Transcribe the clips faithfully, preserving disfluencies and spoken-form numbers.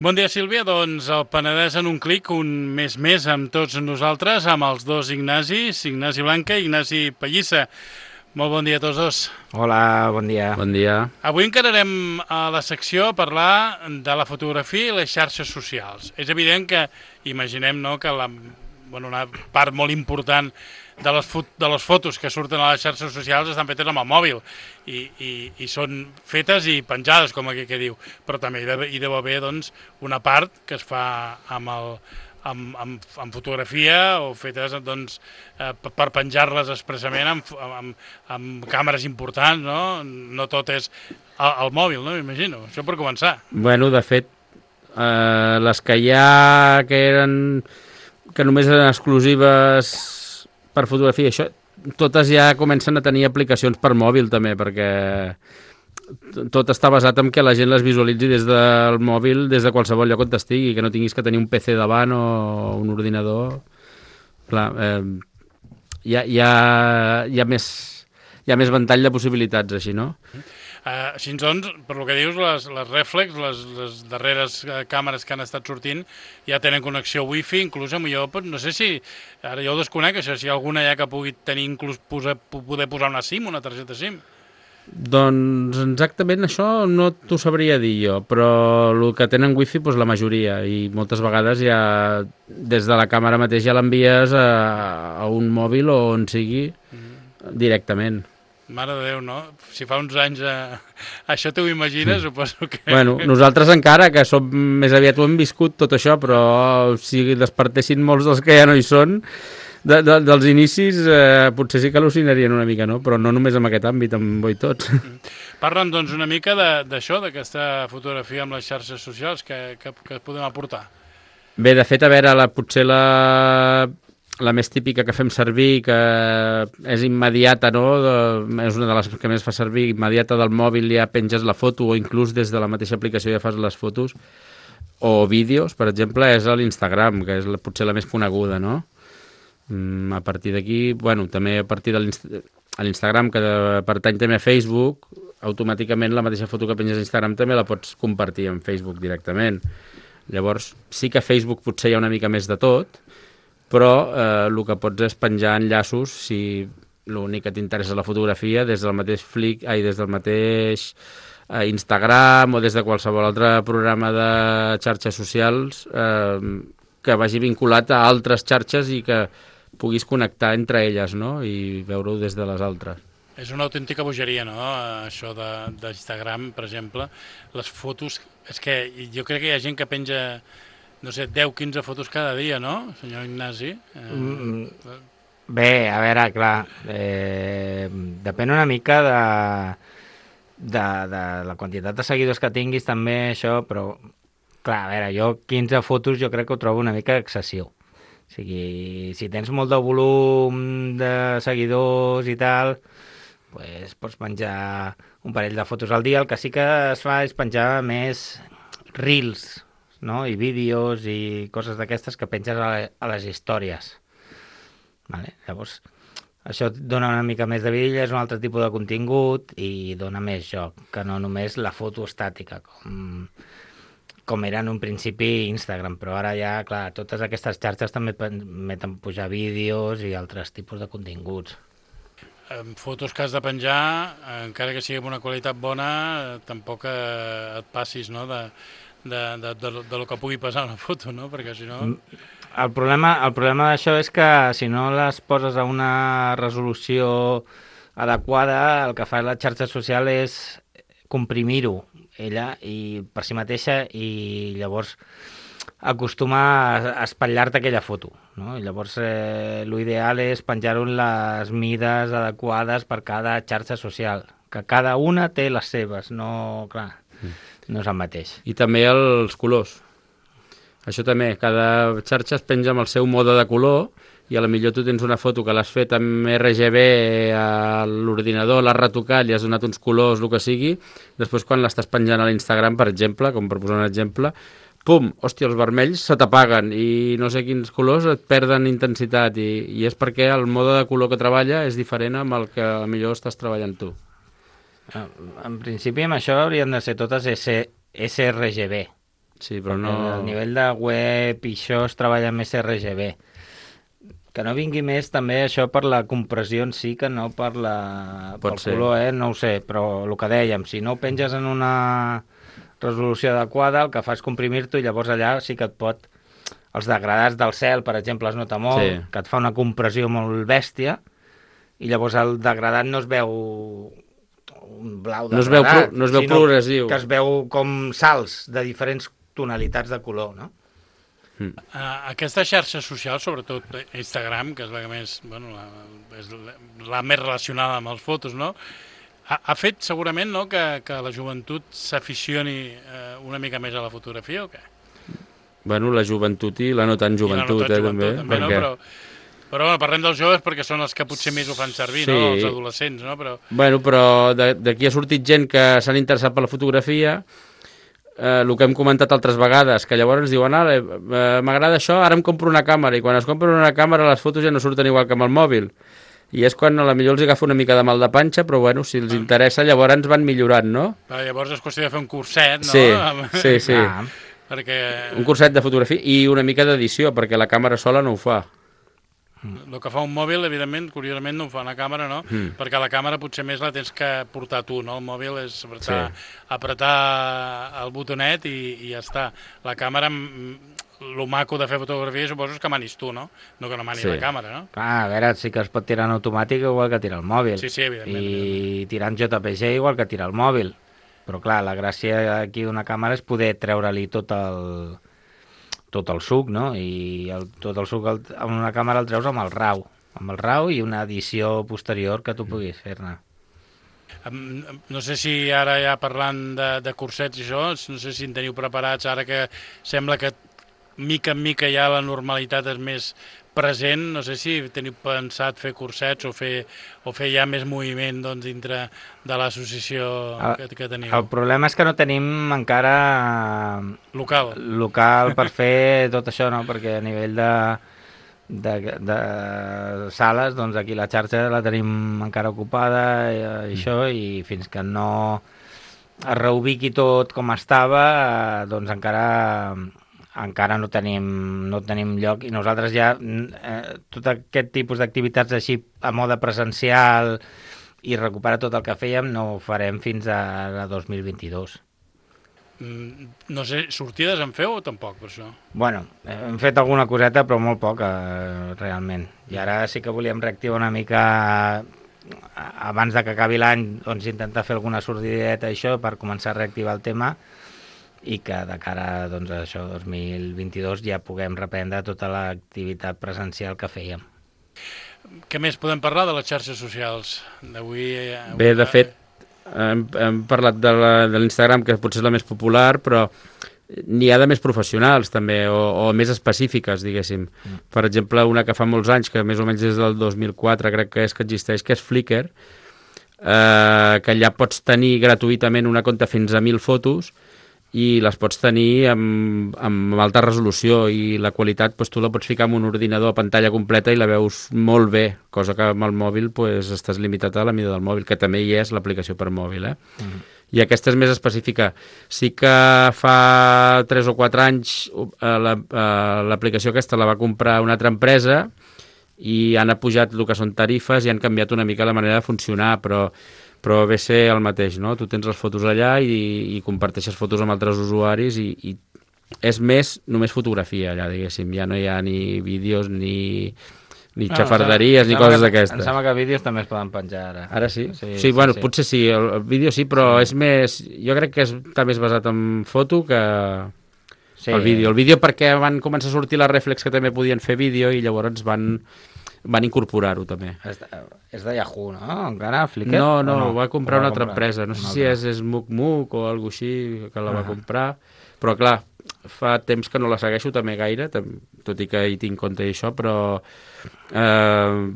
Bon dia, Sílvia. Doncs el Penedès en un clic, un mes més amb tots nosaltres, amb els dos Ignacis, Ignasi Blanca i Ignasi Pallissa. Molt bon dia a tots dos. Hola, bon dia. Bon dia. Avui encararem a la secció a parlar de la fotografia i les xarxes socials. És evident que, imaginem, no, que la, bueno, una part molt important de les, de les fotos que surten a les xarxes socials estan fetes amb el mòbil i, i, i són fetes i penjades, com aquí que diu, però també hi deu, hi deu haver doncs, una part que es fa amb, el, amb, amb, amb fotografia o fetes doncs, eh, per penjar-les expressament amb, amb, amb càmeres importants, no? No tot és el, el mòbil, no? M'imagino. Això per començar. Bueno, de fet, eh, les que hi ha que eren que només eren exclusives per fotografia, això, totes ja comencen a tenir aplicacions per mòbil també, perquè tot està basat en que la gent les visualitzi des del mòbil, des de qualsevol lloc on estigui, que no tinguis que tenir un P C davant o un ordinador. Clar, eh, hi, ha, hi, ha, hi, ha més, hi ha més ventall de possibilitats així, no? Uh, així doncs, per lo que dius, les, les reflex, les, les darreres uh, càmeres que han estat sortint ja tenen connexió wifi, inclús amb jo, no sé si, ara jo ho desconec, això, si hi ha alguna ja que pugui tenir inclús posa, poder posar una SIM, una targeta SIM. Doncs exactament això no t'ho sabria dir jo, però el que tenen wifi, doncs la majoria, i moltes vegades ja des de la càmera mateix ja l'envies a, a un mòbil o on sigui mm. directament. Mare de Déu, no? Si fa uns anys eh, això t'ho imagines, suposo que... Bueno, nosaltres encara, que som més aviat ho hem viscut tot això, però si despertessin molts dels que ja no hi són, de, de, dels inicis eh, potser sí que al·lucinarien una mica, no? Però no només en aquest àmbit, en voi tots. Parla'm, doncs, una mica d'això, d'aquesta fotografia amb les xarxes socials, que, que, que podem aportar. Bé, de fet, a veure, la, potser la... la més típica que fem servir, que és immediata, no? De, és una de les que més fa servir, immediata del mòbil, ja penges la foto o inclús des de la mateixa aplicació ja fas les fotos, o vídeos, per exemple, és l'Instagram, que és la, potser la més coneguda, no? Mm, a partir d'aquí, bueno, també a partir de l'Instagram, que pertany també a Facebook, automàticament la mateixa foto que penges a Instagram també la pots compartir en Facebook directament. Llavors, sí que a Facebook potser hi ha una mica més de tot, però eh, el que pots és penjar enllaços si l'únic que t'interessa la fotografia des del mateix Flick, ai, des del mateix eh, Instagram o des de qualsevol altre programa de xarxes socials eh, que vagi vinculat a altres xarxes i que puguis connectar entre elles, no? I veure-ho des de les altres. És una autèntica bogeria, no?, això d'Instagram, per exemple. Les fotos, és que jo crec que hi ha gent que penja... no sé, deu o quinze fotos cada dia, no, senyor Ignasi? Eh... Mm, bé, a veure, clar, eh, depèn una mica de, de, de la quantitat de seguidors que tinguis també, això, però, clar, a veure, jo quinze fotos jo crec que ho trobo una mica excessiu. O sigui, si tens molt de volum de seguidors i tal, pues, pots penjar un parell de fotos al dia. El que sí que es fa és penjar més reels, no? I vídeos i coses d'aquestes que penges a, la, a les històries. Vale? Llavors, això et dona una mica més de vida, és un altre tipus de contingut i dona més joc, que no només la foto estàtica, com, com era en un principi Instagram, però ara ja, clar, totes aquestes xarxes també permeten pujar vídeos i altres tipus de continguts. En fotos que has de penjar, encara que sigui amb una qualitat bona, tampoc et passis, no?, de... De, de, de, de lo que pugui passar una foto, no? Perquè si no... El problema, el problema d'això és que si no les poses a una resolució adequada, el que fa la xarxa social és comprimir-ho ella i per si mateixa i llavors acostuma a espatllar-te aquella foto, no? I llavors eh, l'ideal és penjar-ho en les mides adequades per cada xarxa social, que cada una té les seves, no... clar... no és el mateix. I també els colors. Això també, cada xarxa es penja amb el seu mode de color i a la millor tu tens una foto que l'has fet amb R G B a l'ordinador, l'has retocat, li has donat uns colors, el que sigui, després quan l'estàs penjant a l'Instagram, per exemple, com per posar un exemple, pum, hòstia, els vermells se t'apaguen i no sé quins colors et perden intensitat i, i és perquè el mode de color que treballa és diferent amb el que a la millor estàs treballant tu. En principi amb això haurien de ser totes S R G B, Sí, però no... A nivell de web i això es treballa més R G B. Que no vingui més també això per la compressió en si, que no per la... Pot pel ser. color, eh? No ho sé, però el que dèiem, si no ho penges en una resolució adequada, el que fa és comprimir-t'ho i llavors allà sí que et pot... Els degradats del cel, per exemple, es nota molt, Sí. que et fa una compressió molt bèstia, i llavors el degradat no es veu un blau No es veu degradat, pro- no es veu sinó progressiu. que es veu com salts de diferents tonalitats de color, no? Uh, aquesta xarxa social, sobretot Instagram, que és la que més, bueno, la, és la, la més relacionada amb les fotos, no? Ha, ha fet segurament, no, que, que la joventut s'aficioni uh, una mica més a la fotografia o què? Bueno, la joventut i la no tan joventut, I la no tan eh, també. també, no? perquè... Però, però bueno, parlem dels joves perquè són els que potser més ho fan servir, Sí. no? Els adolescents, no? Però Bueno, però de- d'aquí ha sortit gent que s'han interessat per la fotografia, eh, el que hem comentat altres vegades, que llavors ens diuen, ah, eh, m'agrada això, ara em compro una càmera, i quan es compren una càmera les fotos ja no surten igual que amb el mòbil. I és quan a la millor els agafa una mica de mal de panxa, però bueno, si els interessa llavors ens van millorant, no? però llavors és qüestió de fer un curset, no? Sí, Amb- sí, sí. Ah, Perquè Un curset de fotografia i una mica d'edició, perquè la càmera sola no ho fa. el que fa un mòbil, evidentment, curiosament no ho fa una càmera, no? Mm. Perquè la càmera potser més la tens que portar tu, no? El mòbil és apretar, sí. apretar el botonet i, i ja està. La càmera, el maco de fer fotografia suposo és que manis tu, no? No que no mani Sí. la càmera, no? clar, a veure, sí que es pot tirar en automàtic igual que tira el mòbil. Sí, sí, evidentment, I tirar en J P G igual que tira el mòbil. Però clar, la gràcia aquí d'una càmera és poder treure-li tot el tot el suc, no? I el, tot el suc el, amb una càmera el treus amb el RAW, amb el RAW i una edició posterior que tu puguis fer-ne. Em- em- No sé si ara ja parlant de, de cursets i això, no sé si en teniu preparats ara que sembla que mica en mica ja la normalitat és més present, no sé si teniu pensat fer cursets o fer, o fer ja més moviment doncs, dintre de l'associació que, que teniu. El problema és que no tenim encara Local. local per fer tot això, no? Perquè a nivell de, de, de sales, doncs aquí la xarxa la tenim encara ocupada i, i això, i fins que no es reubiqui tot com estava, eh, doncs encara encara no tenim, no tenim lloc, i nosaltres ja eh, tot aquest tipus d'activitats així a mode presencial i recuperar tot el que fèiem no ho farem fins a, a dos mil vint-i-dos. Mm, No sé, sortides en feu o tampoc, per això? Bueno, hem fet alguna coseta, però molt poca, eh, realment. I ara sí que volíem reactivar una mica, eh, abans de que acabi l'any, doncs intentar fer alguna sortideta i això, per començar a reactivar el tema, i que de cara doncs, a això, dos mil vint-i-dos, ja puguem reprendre tota l'activitat presencial que fèiem. Què més podem parlar de les xarxes socials d'avui? eh, avui- Bé, de fet, hem, hem parlat de la- de l'Instagram, que potser és la més popular, però n'hi ha de més professionals també, o, o més específiques, diguéssim. Mm. Per exemple, una que fa molts anys, que més o menys des del dos mil quatre crec que és que existeix, que és Flickr, eh, que allà pots tenir gratuïtament una compte fins a mil fotos i les pots tenir amb, amb alta resolució, i la qualitat doncs, tu la pots ficar en un ordinador a pantalla completa i la veus molt bé, cosa que amb el mòbil doncs, estàs limitat a la mida del mòbil, que també hi és l'aplicació per mòbil. Eh? Mm. I aquesta és més específica. Sí que fa tres o quatre anys eh, la, eh, l'aplicació aquesta la va comprar una altra empresa i han apujat el que són tarifes i han canviat una mica la manera de funcionar, però però ve ser el mateix, no? Tu tens les fotos allà i, i comparteixes fotos amb altres usuaris i, i és més només fotografia allà, diguéssim. Ja no hi ha ni vídeos ni, ni No, xafarderies em ni sembla coses que- d'aquestes. Em sembla que vídeos també es poden penjar ara. Ara sí? Sí, Sí, sí, bueno, sí. potser sí, el, el vídeo sí, però és més... Jo crec que és, està més basat en foto que Sí. el vídeo. El vídeo perquè van començar a sortir les reflex que també podien fer vídeo i llavors van, van incorporar-ho també. És de, és de Yahoo, no? Encara, Flickr? No, O no, ho va comprar Ho una va altra comprar? empresa. No sé Una si altra. és SmookMook o alguna així que la va Ah. comprar. Però, clar, fa temps que no la segueixo també gaire, tam- tot i que hi tinc compte i això, però eh,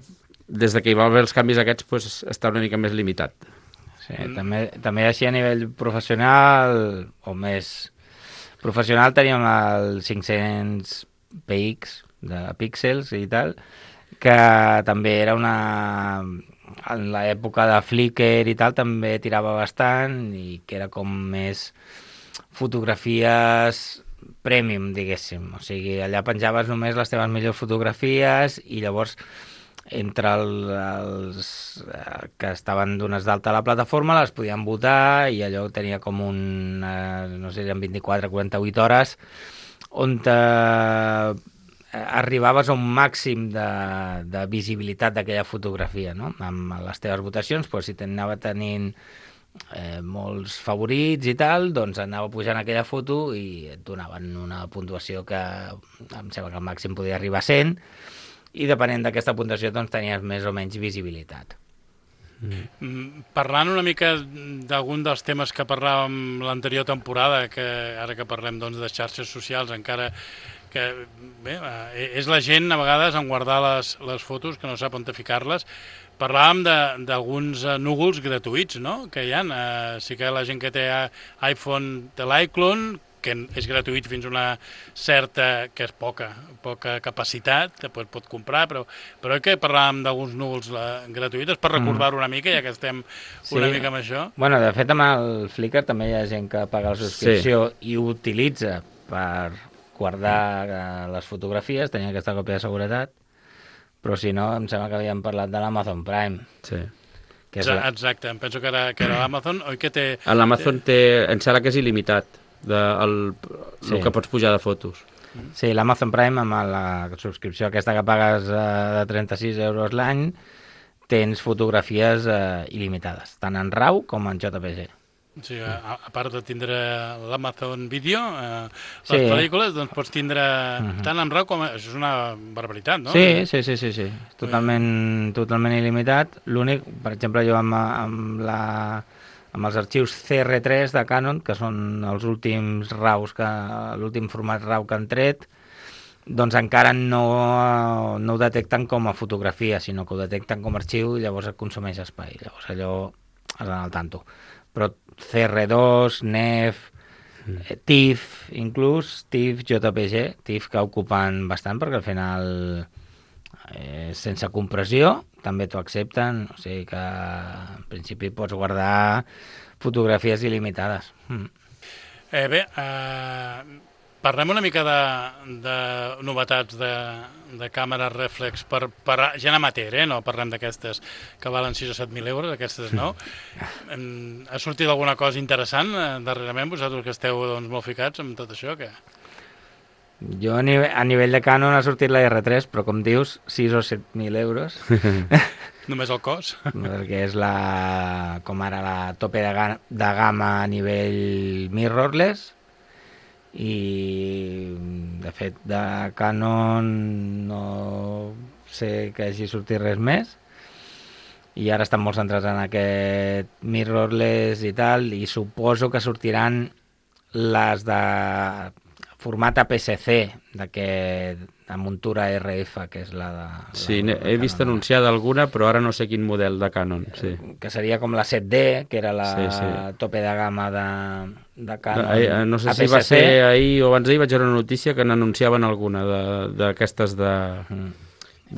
des de que hi va haver els canvis aquests pues, està una mica més limitat. Sí, també, també així a nivell professional, o més professional, teníem el cinc-cents P X de píxels i tal, que també era una... En l'època de Flickr i tal també tirava bastant, i que era com més fotografies premium, diguéssim. O sigui, allà penjaves només les teves millors fotografies i llavors entre el, els eh, que estaven dones d'alta a la plataforma les podien votar i allò tenia com un, eh, no sé, eren vint-i-quatre a quaranta-vuit hores on te, eh, arribaves a un màxim de, de visibilitat d'aquella fotografia, no? Amb les teves votacions, doncs, si t'anava tenint Eh, molts favorits i tal, doncs anava pujant aquella foto i et donaven una puntuació que em sembla que al màxim podia arribar a cent i depenent d'aquesta puntuació doncs tenies més o menys visibilitat. Mm. Parlant una mica d'algun dels temes que parlàvem l'anterior temporada, que ara que parlem doncs, de xarxes socials, encara que bé, és la gent a vegades en guardar les, les fotos que no sap on ficar-les. Parlàvem d'alguns núvols gratuïts, no?, que hi ha. Uh, sí que la gent que té iPhone té l'iClone, que és gratuït fins a una certa, que és poca, poca capacitat, que pot, pot comprar, però, però que parlàvem d'alguns núvols uh, gratuïts, per recordar-ho una mica, ja que estem una sí. mica amb això. Bueno, de fet, amb el Flickr també hi ha gent que paga la subscripció sí. i utilitza per guardar uh, les fotografies, tenia aquesta còpia de seguretat, però si no, em sembla que havíem parlat de l'Amazon Prime. Sí. Que és la... Exacte, em penso que era, que era l'Amazon, oi que té... L'Amazon té, em sembla que és il·limitat, de, el, sí. el que pots pujar de fotos. Sí, l'Amazon Prime, amb la subscripció aquesta que pagues eh, de trenta-sis euros l'any, tens fotografies eh, il·limitades, tant en RAW com en J P G. Sí, a, a part de tindre l'Amazon Video, eh, les sí. pel·lícules, doncs pots tindre uh-huh. tant en RAW com... Això és una barbaritat, no? Sí, sí, sí, sí, sí. Totalment, totalment il·limitat. L'únic, per exemple, jo amb, amb, la, amb els arxius C R tres de Canon, que són els últims RAWs, que l'últim format RAW que han tret, doncs encara no, no ho detecten com a fotografia, sinó que ho detecten com a arxiu i llavors et consumeix espai. Llavors allò has d'anar al tanto. Però C R dos, N E F, mm. TIFF, inclús, TIFF, J P G, TIFF que ocupen bastant perquè al final eh, sense compressió també t'ho accepten, o sigui que en principi pots guardar fotografies il·limitades. Mm. Eh, bé, eh, parlem una mica de, de novetats de, de càmeres reflex per, per gent amateur, eh? No parlem d'aquestes que valen sis o set mil euros, aquestes no. Ha sortit alguna cosa interessant eh, darrerament, vosaltres que esteu doncs, molt ficats amb tot això? Que... Jo a nivell, a nivell de Canon ha sortit la R tres, però com dius, sis o set mil euros. Només el cost? Perquè és la, com ara la tope de, ga, de gamma a nivell mirrorless, i de fet de Canon no sé que hagi sortit res més i ara estan molt centrats en aquest mirrorless i tal, i suposo que sortiran les de format A P S C d'aquest de muntura R F, que és la de... La, sí, la, he vist Canon. Anunciada alguna, però ara no sé quin model de Canon. Sí. Que seria com la set D, que era la sí, sí. tope de gamma de, de Canon. No, no sé A P S C. Si va ser ahir o abans d'ahir vaig veure una notícia que n'anunciaven alguna d'aquestes de, de,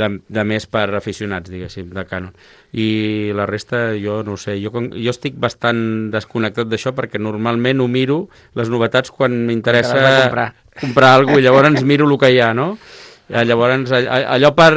de, de més per aficionats, diguéssim, de Canon. I la resta, jo no ho sé, jo, jo estic bastant desconnectat d'això perquè normalment ho miro, les novetats, quan m'interessa comprar. comprar alguna cosa, i llavors miro el que hi ha, no? Llavors, allò per...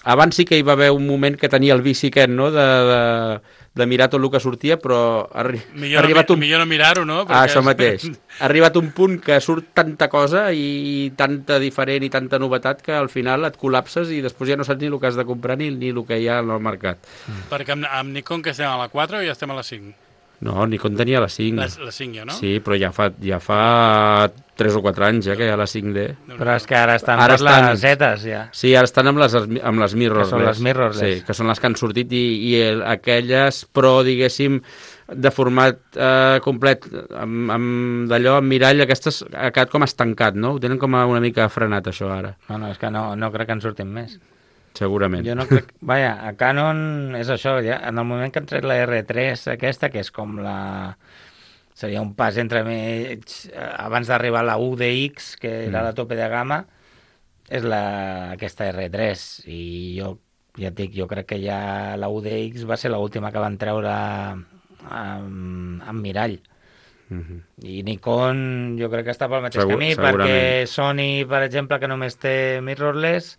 Abans sí que hi va haver un moment que tenia el vici aquest, no?, de, de, de mirar tot el que sortia, però ha, millor ha arribat no, un... Millor no mirar-ho, no? Ah, això és... mateix. Ha arribat un punt que surt tanta cosa i tanta diferent i tanta novetat que al final et col·lapses i després ja no saps ni el que has de comprar ni, ni el que hi ha al mercat. Mm. Perquè amb, amb Nikon que estem a la quatre o ja estem a la cinc? No, Nikon tenia la cinc. La, la cinc jo, no? Sí, però ja fa, ja fa tres o quatre anys ja que hi ha la cinc D. Però és que ara estan ara per estan, les zetes, ja. Sí, ara estan amb les, amb les mirrorless. Que són les mirrorless. Sí, que són les que han sortit i, i el, aquelles pro, diguéssim, de format eh, complet, amb, amb d'allò, amb mirall, aquestes ha quedat com estancat, no? Ho tenen com una mica frenat, això, ara. No, no, és que no, no crec que en surtin més. Segurament. Jo no crec... Vaja, a Canon és això, ja, en el moment que han tret la R tres aquesta, que és com la... Seria un pas entre mig, abans d'arribar a la U D X, que era mm. la tope de gamma, és la, aquesta R tres, i jo ja et dic, jo crec que ja la U D X va ser l'última que van treure amb, amb mirall. Mhm. I Nikon jo crec que està pel mateix Segur- camí, segurament. perquè Sony, per exemple, que només té mirrorless,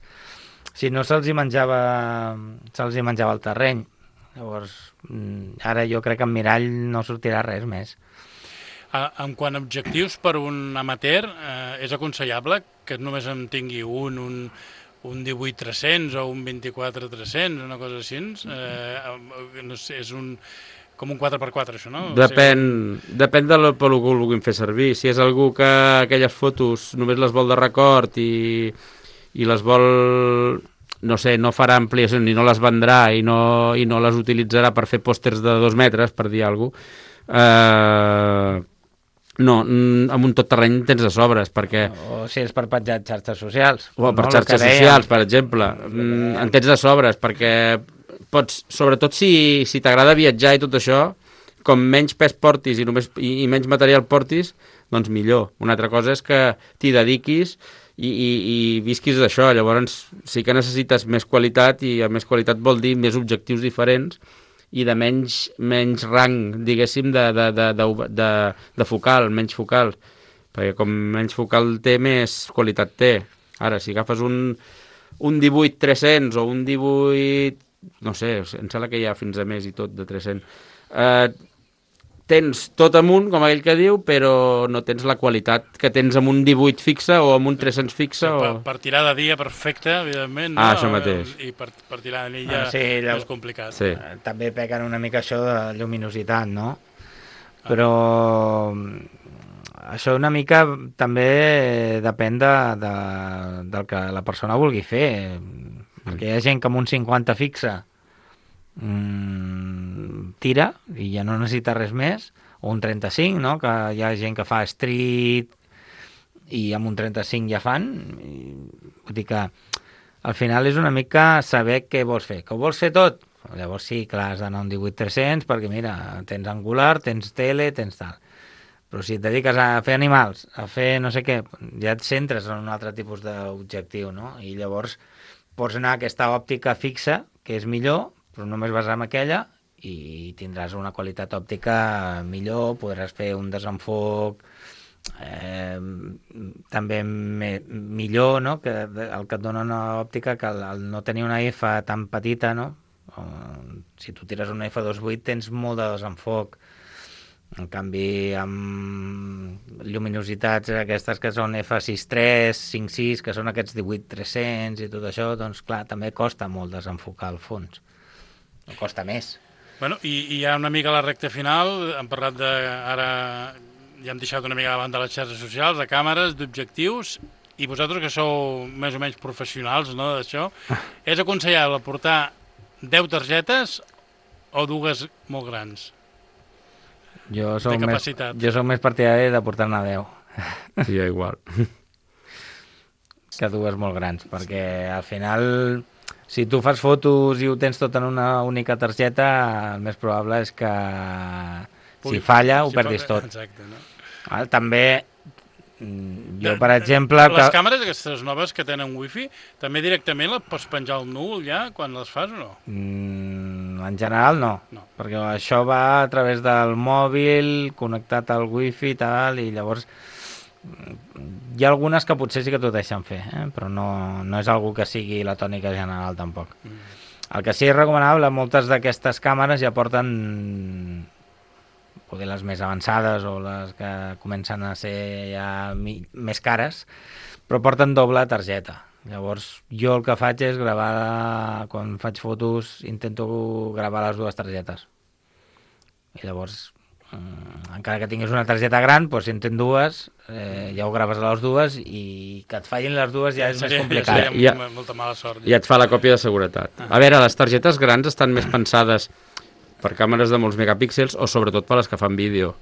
si no se'ls hi menjava se'ls hi menjava el terreny. Llavors, mm, ara jo crec que en mirall no sortirà res més. A, en quant a objectius per un amateur, eh, és aconsellable que només en tingui un, un, un divuit tres-cents o un vint-i-quatre tres-cents, una cosa així. Eh, no sé, és un, com un quatre per quatre, això, no? Depèn, depèn de lo, per lo que ho vulguin fer servir. Si és algú que aquelles fotos només les vol de record i, i les vol, no sé, no farà ampliacions i no les vendrà i no, i no les utilitzarà per fer pòsters de dos metres, per dir alguna cosa, eh, no, mm, amb un tot terreny tens de sobres, perquè... O si és per penjar xarxes socials. O per no? xarxes El que dèiem. socials, per exemple. Mm, en tens de sobres, perquè pots, sobretot si, si t'agrada viatjar i tot això, com menys pes portis i, només, i, i menys material portis, doncs millor. Una altra cosa és que t'hi dediquis i, i, i visquis d'això. Llavors sí que necessites més qualitat, i a més qualitat vol dir més objectius diferents i de menys, menys rang, diguéssim, de, de, de, de, de, de focal, menys focal. Perquè com menys focal té, més qualitat té. Ara, si agafes un, un divuit tres-cents o un divuit... No sé, em sembla que hi ha fins a més i tot de tres-cents. Eh, tens tot amunt, com aquell que diu, però no tens la qualitat que tens amb un divuit fixe o amb un tres-cents fixe. Sí, o... per, per tirar de dia perfecte, evidentment, no? Ah, això mateix. I per, per tirar de nit ja Ah, sí, llavors- és complicat. Sí. Eh, També pequen una mica això de lluminositat, no? Però mm, això una mica també depèn de, de, del que la persona vulgui fer. Perquè hi ha gent que amb un cinquanta fixe mm, tira i ja no necessita res més, o un trenta-cinc, no? Que hi ha gent que fa street i amb un trenta-cinc ja fan. I, vull dir que al final és una mica saber què vols fer. Que ho vols fer tot? Llavors sí, clar, has d'anar a un divuit tres-cents perquè mira, tens angular, tens tele, tens tal. Però si et dediques a fer animals, a fer no sé què, ja et centres en un altre tipus d'objectiu, no? I llavors pots anar a aquesta òptica fixa, que és millor, però només vas amb aquella i tindràs una qualitat òptica millor, podràs fer un desenfoc eh, també me, millor, no? Que el que et dona una òptica, que el, el no tenir una F tan petita, no? O, si tu tires una F dos vuit tens molt de desenfoc. En canvi, amb lluminositats aquestes que són F sis tres, cinc sis, que són aquests divuit tres-cents i tot això, doncs clar, també costa molt desenfocar el fons. No costa més. Bueno, i, i ja una mica a la recta final, hem parlat de... Ara ja hem deixat una mica davant de les xarxes socials, de càmeres, d'objectius, i vosaltres que sou més o menys professionals, no, d'això, és aconsellable portar deu targetes o dues molt grans? Jo soc, De més, capacitat. jo soc més partidari de portar-ne deu Sí, igual. que dues molt grans, perquè al final, si tu fas fotos i ho tens tot en una única targeta, el més probable és que si falla ho Si perdis fa- tot. Exacte, no? Val? També, mm, jo De- per exemple... Les Que... càmeres aquestes noves que tenen wifi, també directament les pots penjar al núvol ja quan les fas o no? Mm, en general no, No. perquè això va a través del mòbil, connectat al wifi i tal, i llavors mm, hi ha algunes que potser sí que t'ho deixen fer, eh? Però no, no és algo que sigui la tònica general tampoc. Mm. El que sí és recomanable, moltes d'aquestes càmeres ja porten poder les més avançades o les que comencen a ser ja mi, més cares, però porten doble targeta. Llavors, jo el que faig és gravar, quan faig fotos, intento gravar les dues targetes. I llavors, mm, encara que tinguis una targeta gran, doncs si en tens dues, eh, ja ho graves a les dues i que et fallin les dues ja és més complicat. Seria Ja- molta mala sort. I et fa la còpia de seguretat. A veure, les targetes grans estan més pensades per càmeres de molts megapíxels o sobretot per les que fan vídeo.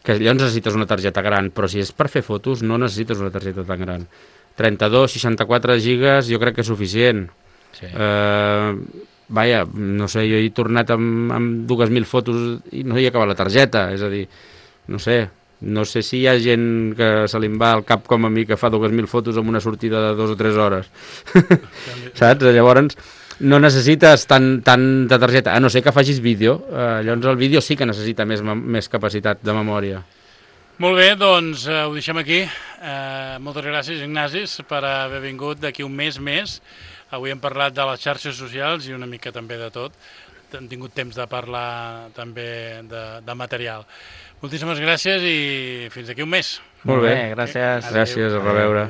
Que llavors necessites una targeta gran, però si és per fer fotos no necessites una targeta tan gran. trenta-dos, seixanta-quatre gigas jo crec que és suficient. Sí. Eh, vaja, no sé, jo he tornat amb, amb dues mil fotos i no hi ha acabat la targeta, és a dir, no sé, no sé si hi ha gent que se li va al cap com a mi que fa dues mil fotos amb una sortida de dues o tres hores. Saps? Llavors no necessites tant, tant de targeta, a no ser que facis vídeo. Eh, llavors el vídeo sí que necessita més, mem- més capacitat de memòria. Molt bé, doncs eh, ho deixem aquí. Eh, moltes gràcies, Ignacis, per haver vingut d'aquí un mes més. Avui hem parlat de les xarxes socials i una mica també de tot. Hem tingut temps de parlar també de, de material. Moltíssimes gràcies i fins d'aquí un mes. Molt bé, gràcies. Gràcies, a reveure.